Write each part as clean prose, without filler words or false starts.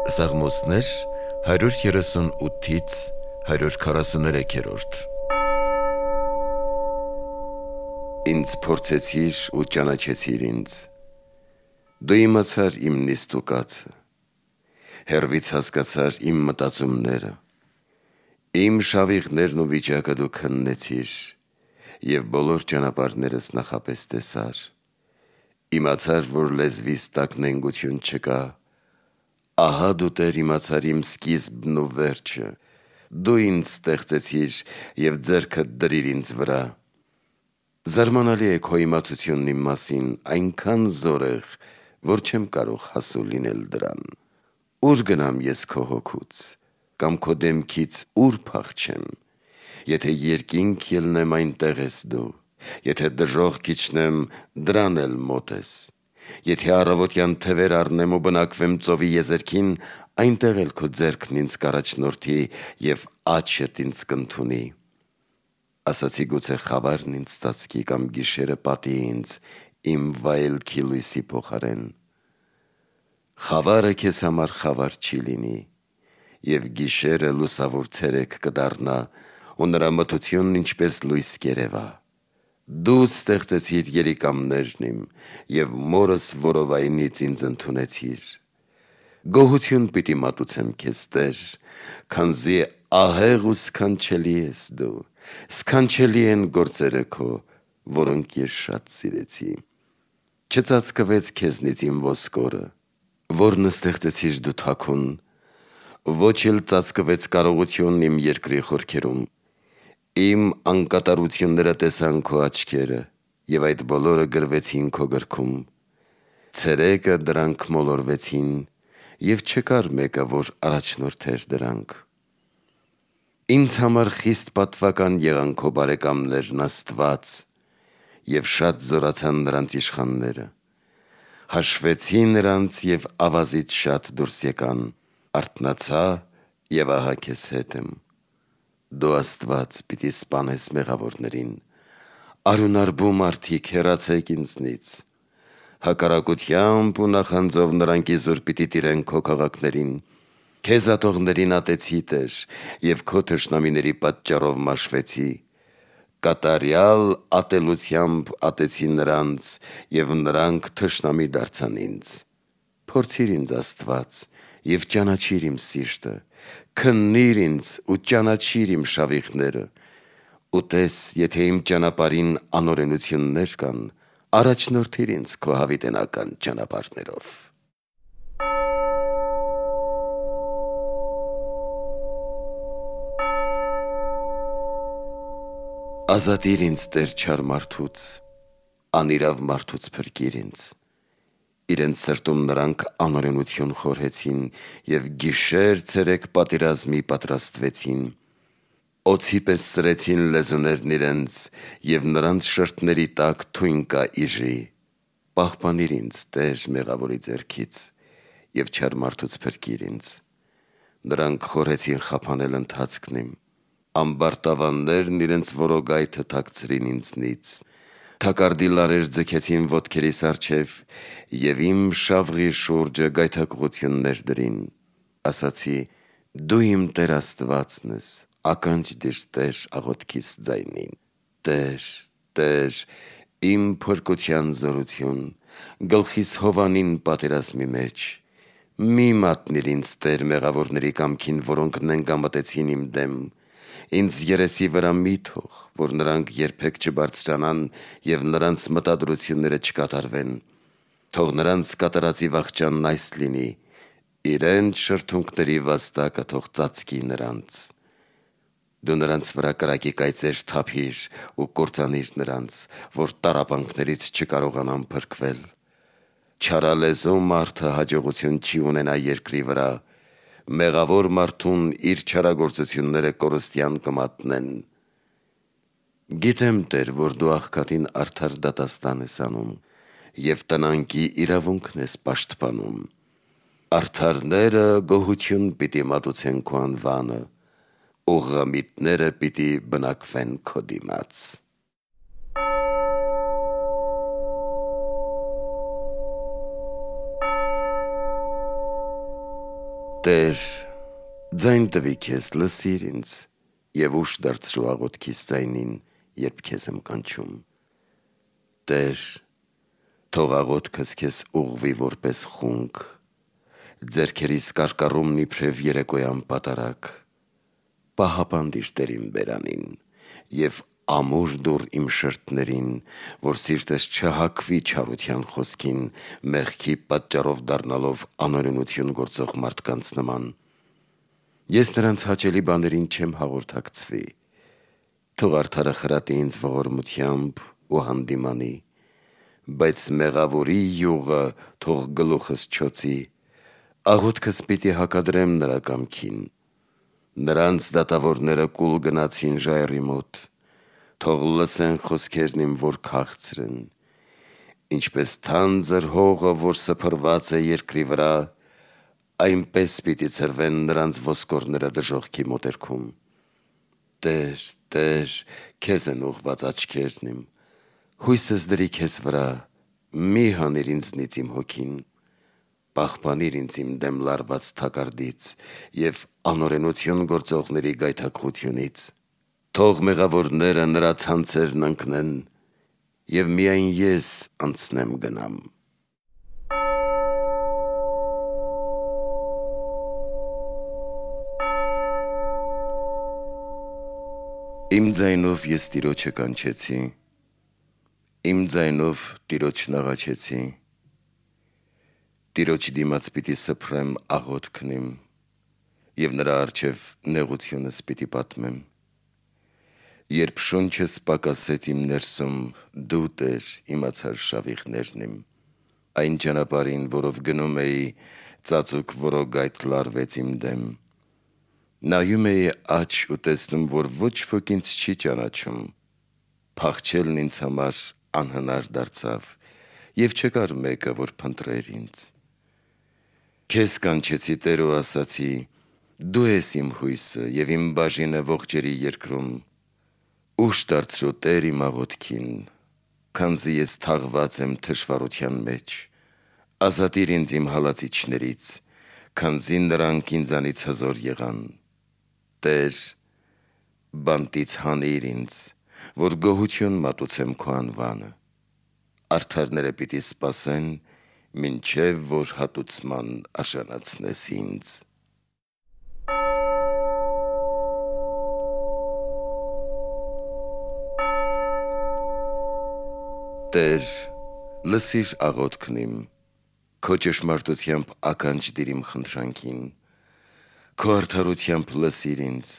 Սաղմոսներ 138-ից 143-րդ Ինձ փորձեցիր ու ճանաչեցիր ինձ, դու իմացար իմ նիստուկացը, հեռվից հասկացար իմ մտածումները, իմ շավիղներն ու վիճակը դու քննեցիր և բոլոր ճանապարհներս նախապես տեսար, իմացար, որ լեզվիս տակ նենգություն չկա, ահա դու Տեր իմացար իմ սկիզբն ու վերջը, դու ինձ ստեղծեցիր և ձեռքդ դրիր ինձ վրա, զարմանալի է քո իմացությունն իմ մասին, այնքան զորեղ, որ չեմ կարող հասու լինել դրան, ուր գնամ ես քո հոգուց, կամ քո դեմքից ուր փախչեմ, եթե երկինք ելնեմ այնտեղ ես դու, եթե դժոխք իջնեմ դրան էլ մոտ ես, եթե առավոտյան թևեր առնեմ ու բնակվեմ ծովի եզերքին, այնտեղ էլ քո ձեռքն ինձ կառաջնորդի և աջդ ինձ կընդունի, ասացի գուցե խավարն ինձ ծածկի կամ գիշերը պատի ինձ իմ վայելքի լույսի փոխարեն, խավարը քեզ համար խավար չի լինի, և գիշերը լուսավոր ցերեկ կդառնա ու նրա մթությունն ինչպես լույս կերևա, դու ստեղծեցիր երիկամներն իմ և մորս որովայնից ինձ ընդունեցիր, գոհություն պիտի մատուցեմ քեզ Տեր, քանզի ահեղ ու սքանչելի ես դու, սքանչելի են գործերը քո, որոնք ես շատ սիրեցի, չծածկվեց քեզնից իմ ոսկորը, որն ստեղծեցիր դու թաքուն, ոչ էլ ծածկվեց կարողությունն իմ երկրի խորքերում, իմ անկատարությունները տեսան քո աչքերը և այդ բոլորը գրվեցին քո գրքում, ցերեկը դրանք մոլորվեցին և չկար մեկը, որ առաջնորդեր դրանք, ինձ համար խիստ պատվական եղան քո բարեկամներն Աստված և շատ զորացան նրանց իշխանները, հաշվեցի նրանց և ավազից շատ դուրս եկան, արթնացա և ահա քեզ հետ եմ, դու Աստված պիտի սպանես մեղավորներին, արյունարբու մարդիկ հեռացեք ինձնից, հակառակությամբ ու նախանձով նրանք իզուր պիտի տիրեն քո քաղաքներին, քեզ ատողներին ատեցի Տեր և քո թշնամիների պատճառով մաշվեցի, կատարյալ ատելությամբ ատեցի նրանց և նրանք թշնամի դարձան ինձ, փորձիր ինձ Աստված և ճանաչիր իմ սիրտը, քննիր ինձ ու ճանաչիր իմ շավիղները, ու տես, եթե իմ ճանապարհին անօրենություններ կան, առաջնորդիր ինձ քո հավիտենական ճանապարհներով։ Ազատիր ինձ Տեր չար մարդուց, անիրավ մարդուց փրկիր ինձ, իրենց սրտում նրանք անօրենություն խորհեցին և գիշեր ցերեկ պատերազմի պատրաստվեցին, օձի պես սրեցին լեզուներն իրենց և նրանց շրթների տակ թույն կա իժի, պահպանիր ինձ Տեր մեղավորի ձեռքից և չար մարդուց փրկիր ինձ, նրանք խորհեցին խափանել ընթացքն իմ, ամբարտավաններն իրենց որոգայթը թաքցրին ինձնից, թակարդի լարեր ձգեցին ոտքերիս առջև և իմ շավղի շուրջը գայթակղություններ դրին, ասացի դու իմ Տեր Աստվածն ես, ականջ դիր Տեր աղոթքիս ձայնին, Տեր, Տեր, իմ փրկության զորություն, գլխիս հովանին պատերազմի մեջ, մի մատնիր ինձ Տեր մեղավորների կամքին, որոնք նենգամտեցին իմ դեմ, ինձ երեսի վրա մի թող, որ նրանք երբեք չբարձրանան և նրանց մտադրությունները չկատարվեն, թող նրանց կատարածի վախճանն այս լինի, իրենց շրթունքների վաստակը թող ծածկի նրանց, դու նրանց վրա կրակի կայծեր թափիր ու կործանիր նրանց, որ տառապանքներից չկարողանան փրկվել, չարալեզու մարդը հաջողություն չի ունենա երկրի վրա, մեղավոր մարդուն իր չարագործությունները կորստյան կմատնեն, գիտեմ Տեր, որ դու աղքատին արդար դատաստան ես անում և տնանկի իրավունքն ես պաշտպանում, արդարները գոհություն պիտի մատուցեն քո անվանը, ուղղամիտները պիտի բնակվեն քո դիմաց։ Տեր, ձայն տվի քեզ, լսիր ինձ, և ուշ դարձրու աղոթքիս ձայնին, երբ քեզ եմ կանչում։ Տեր, թող աղոթքս քեզ ուղղվի որպես խունգ, ձեռքերիս կարկառումն իբրև երեկոյան պատարագ, պահապանդիր Տեր իմ բերանին, և ամուր դուռ իմ շրթներին, որ սիրտս չհագվի չարության խոսքին, մեղքի պատճառով դառնալով անօրենություն գործող մարդկանց նման։ Ես նրանց հաճելի բաներին չեմ հաղորդակցվի, թող արդարը խրատի ինձ ողորմությամբ ու հանդիմանի, բայց մեղավորի յուղը թող գլուխս չոցի, աղոթքս պիտի հակադրեմ նրա կամքին։ Նրանց դատավորները կուլ գնացին ժայռի մոտ, թող լսեն խոսքերն իմ, որ քաղցր են, ինչպես թանձր հողը, որ սփռված է երկրի վրա, այնպես պիտի ցրվեն նրանց ոսկորները դժոխքի մոտերքում։ Տեր, Տեր, քեզ են ուղված աչքերն իմ, հույսս դրի քեզ վրա, մի հանիր ինձնից իմ հոգին, պահպանիր ինձ իմ դեմ լարված թակարդից և անօրենություն գործողների գայթակղությունից, թող մեղավորները նրա ցանցերն ընկնեն, և միայն ես անցնեմ գնամ։ Իմ ձայնով ես Տիրոջը կանչեցի, իմ ձայնով Տիրոջն աղաչեցի, Տիրոջ դիմաց պիտի սփռեմ աղոթքն իմ, և նրա առջև նեղությունս պիտի պատմեմ։ Երբ շունչս պակասեց իմ ներսում, դու Տեր իմացար շավիղներն իմ, այն ճանապարհին, որով գնում էի, ծածուկ որոգայթ լարվեց իմ դեմ։ Նայում էի աջ ու տեսնում, որ ոչ ոք ինձ չի ճանաչում, փախչելն ինձ համար անհնար դարձավ, և չկար մեկը, որ փնտրեր ինձ։ Քեզ կանչեցի, Տեր, ու ասացի. դու ես իմ հույսը և իմ բաժինը ողջերի երկրում։ Ուշ դարձրու Տեր իմ աղոթքին, քանզի ես թաղված եմ թշվառության մեջ, ազատիր ինձ իմ հալածիչներից, քանզի նրանք ինձանից հզոր եղան։ Տեր, բանտից հանիր ինձ, որ գոհություն մատուցեմ քո անվանը, արդարները պիտի սպասեն, մինչև որ հատուցման արժանացնես ինձ։ Տեր, լսիր աղոթքն իմ, քո ճշմարտությամբ ականջ դիր իմ խնդրանքին, քո արդարությամբ լսիր ինձ,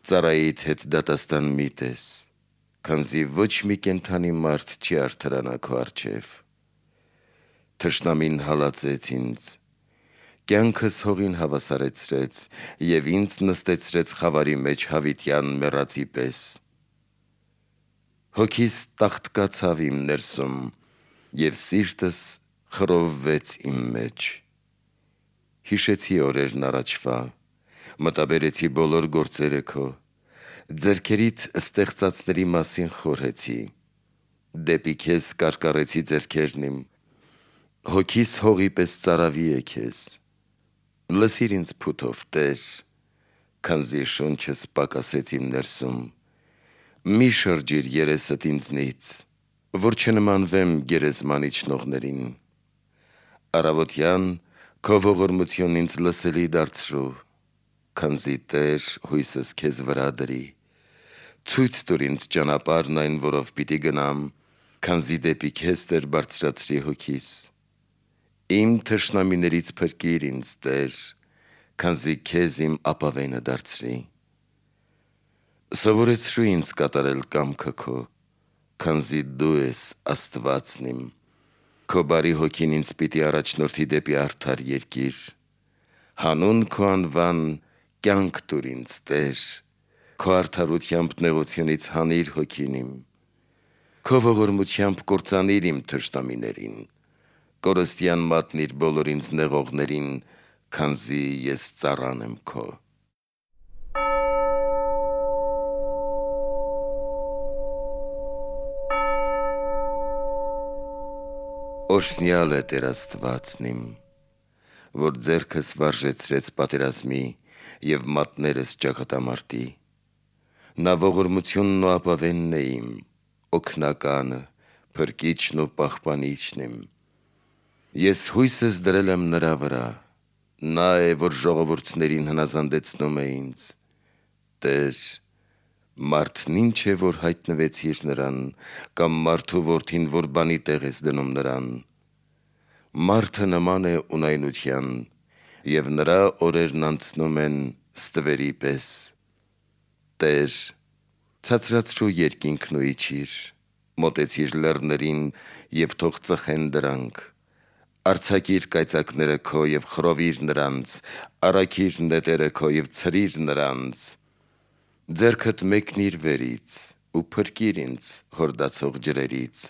ծառայիդ հետ դատաստան մի տես, քանզի ոչ մի կենդանի մարդ չի արդարանա քո առջև։ Թշնամին հալածեց ինձ, կյանքս հողին հավասարեցրեց և ինձ նստեցրեց խավարի մեջ հավիտյան մեռածի պես։ Հոգիս տաղտկացավ իմ ներսում, և սիրտս խռովվեց իմ մեջ։ Հիշեցի օրերն առաջվա, մտաբերեցի բոլոր գործերը քո, ձեռքերիդ ստեղծածների մասին խորհեցի, դեպի քեզ կարկառեցի ձեռքերն իմ, հոգիս հողի պես ծարավի է քեզ։ Լսիր ինձ փութով, Տեր, քանզի շունչս պակասեց իմ ներսում, մի շրջիր երեսդ ինձնից, որ չնմանվեմ գերեզման իջնողներին։ Առավոտյան քո ողորմությունն ինձ լսելի դարձրու, քանզի Տեր հույսս քեզ վրա դրի։ Ցույց տուր ինձ ճանապարհն այն, որով պիտի գնամ, քանզի դեպի քեզ, Տեր, բարձրացրի հոգիս։ Իմ թշնամիներից փրկիր ինձ, Տեր, քանզի քեզ իմ ապավենը դարձրի։ Սովորեցրու ինձ կատարել կամքը քո, քանզի դու ես Աստվածն իմ, քո բարի հոգին ինձ պիտի առաջնորդի դեպի արդար երկիր։ Հանուն քո անվան կյանք տուր ինձ, Տեր, քո արդարությամբ նեղությունից հանիր հոգին իմ, քո ողորմությամբ կործանիր իմ թշնամիներին, կորստյան մատնիր բոլոր ինձ նեղողներին, քանզի ես ծառան եմ քո։ Օրհնյալ է Տեր Աստվածն իմ, որ ձեռքս վարժեցրեց պատերազմի և մատներս ճակատամարտի։ Նա ողորմությունն ու ապավենն է իմ, օգնականը, փրկիչն ու պահպանիչն իմ։ Ես հույսս դրել եմ նրա վրա, նա է, որ ժողովուրդներին հնազանդեցնում է ինձ։ Տեր, մարդն ինչ է, որ հայտնվեցիր նրան, կամ մարդու որդին, որ բանի տեղ ես դնում նրան։ Մարդը նման է ունայնության, և նրա օրերն անցնում են ստվերի պես։ Տեր, ցածրացրու երկինքն ու իջիր, մոտեցիր լեռներին և թող ծխեն դրանք։ Արձակիր կայծակները քո և խռովիր նրանց, առաքիր նետերը քո և ցրիր նրանց։ Ձեռքդ մեկնիր վերից ու փրկիր ինձ հորդացող ջրերից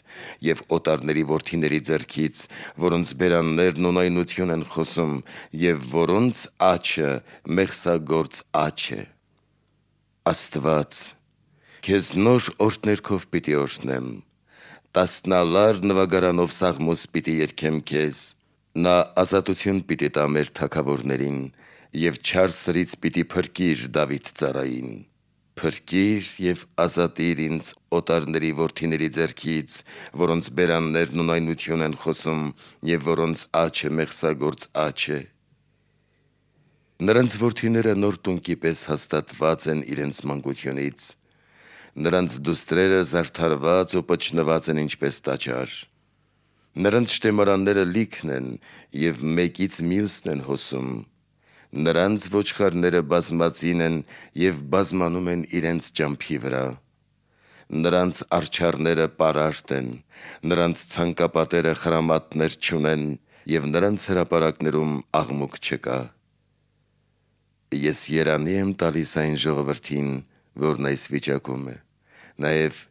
և օտարների որդիների ձեռքից, որոնց բերաններն ունայնություն են խոսում և որոնց աջը մեղսագործ աջ է։ Աստված, քեզ նոր օրհներգով պիտի օրհնեմ, տասնալար նվագարանով սաղմոս պիտի երգեմ քեզ։ Նա ազատություն պիտի տա մեր թագավորներին և չար սրից պիտի փրկիր Դավիթ ծառային։ Փրկիր և ազատիր ինձ օտարների որդիների ձեռքից, որոնց բերաններն ունայնություն են խոսում և որոնց աջը մեղսագործ աջ է։ Նրանց որդիները նոր տունկի պես հաստատված են իրենց մանկությունից, նրանց դուստրերը զարդարված ու պչնված են ինչպես տաճար։ Նրանց շտեմարանները լիքն են և մեկից մյուսն են հոսում։ Նրանց ոչխարները բազմածին են և բազմանում են իրենց ճամփի վրա։ Նրանց արջառները պարարտ են, նրանց ցանկապատերը խրամատներ չունեն և նրանց հրապարակներում աղմուկ չկա։ Ես երանի եմ տալիս այն ժողովրդին, որն այս վիճակում է, նաև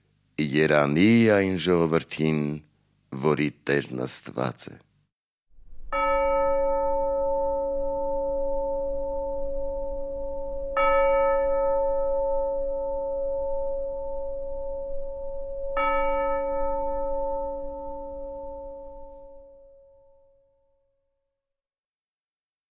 երանի այն ժողովրդին, որի Տերն Աստված է։